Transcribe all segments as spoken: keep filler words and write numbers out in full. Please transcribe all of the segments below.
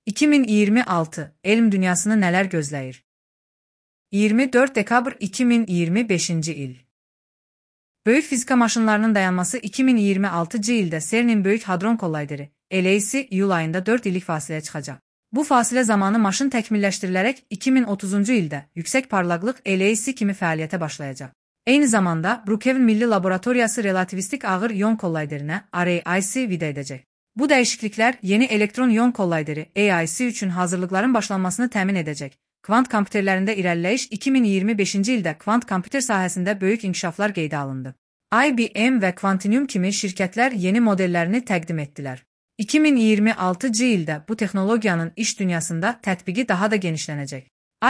iki min iyirmi altı elm dünyasını nələr gözləyir? iyirmi dörd dekabr iki min iyirmi beşinci il. Böyük fizika maşınlarının dayanması iki min iyirmi altıncı ildə CERN-in Böyük Hadron Kollayderi L H C iyul ayında dörd illik fasiləyə çıxacaq. Bu fasilə zamanı maşın təkmilləşdirilərək iki min otuzuncu ildə yüksək parlaqlıq L H C kimi fəaliyyətə başlayacaq. Eyni zamanda Brookhaven Milli Laboratoriyası relativistik ağır ion kollayderinə R A I C vida edəcək. Bu dəyişikliklər yeni elektron ion kollayderi A I C üçün hazırlıqların başlanmasını təmin edəcək. Kvant kompüterlərində irəliləyiş iki min iyirmi beşinci ildə kvant kompüter sahəsində böyük inkişaflar qeydə alındı. I B M və Quantinuum kimi şirkətlər yeni modellərini təqdim etdilər. iki min iyirmi altıncı ildə bu texnologiyanın iş dünyasında tətbiqi daha da genişlənəcək.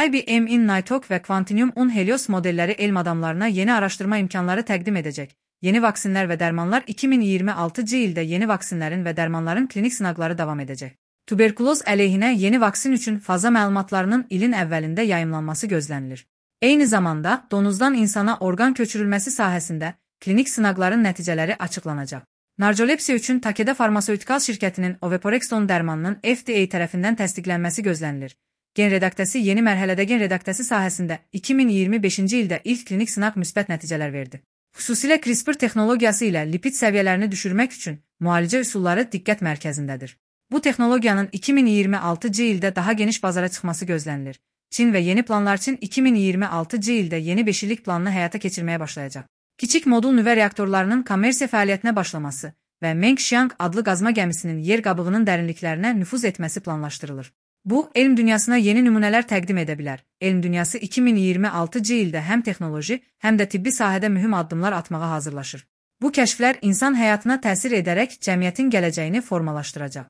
I B M-in Nighthawk və Quantinuum-un Helios modelləri elm adamlarına yeni araşdırma imkanları təqdim edəcək. Yeni vaksinlər və dərmanlar iki min iyirmi altıncı ildə yeni vaksinlərin və dərmanların klinik sınaqları davam edəcək. Tuberkuloz əleyhinə yeni vaksin üçün faza məlumatlarının ilin əvvəlində yayımlanması gözlənilir. Eyni zamanda donuzdan insana orqan köçürülməsi sahəsində klinik sınaqların nəticələri açıqlanacaq. Narcolepsiya üçün Takeda Farmaseutikal şirkətinin Oveporexton dərmanının F D A tərəfindən təsdiqlənməsi gözlənilir. Gen redaktəsi yeni mərhələdə gen redaktəsi sahəsində iki min iyirmi beşinci ildə ilk klinik sınaq müsbət nəticələr verdi. Xüsusilə CRISPR texnologiyası ilə lipid səviyyələrini düşürmək üçün müalicə üsulları diqqət mərkəzindədir. Bu texnologiyanın iki min iyirmi altıncı ildə daha geniş bazara çıxması gözlənilir. Çin və yeni planlar üçün iki min iyirmi altıncı ildə yeni beş illik planını həyata keçirməyə başlayacaq. Kiçik modul nüvə reaktorlarının kommersiya fəaliyyətinə başlaması və Mengxiang adlı qazma gəmisinin yer qabığının dərinliklərinə nüfuz etməsi planlaşdırılır. Bu, elm dünyasına yeni nümunələr təqdim edə bilər. Elm dünyası iki min iyirmi altıncı ildə həm texnoloji, həm də tibbi sahədə mühüm addımlar atmağa hazırlaşır. Bu kəşflər insan həyatına təsir edərək cəmiyyətin gələcəyini formalaşdıracaq.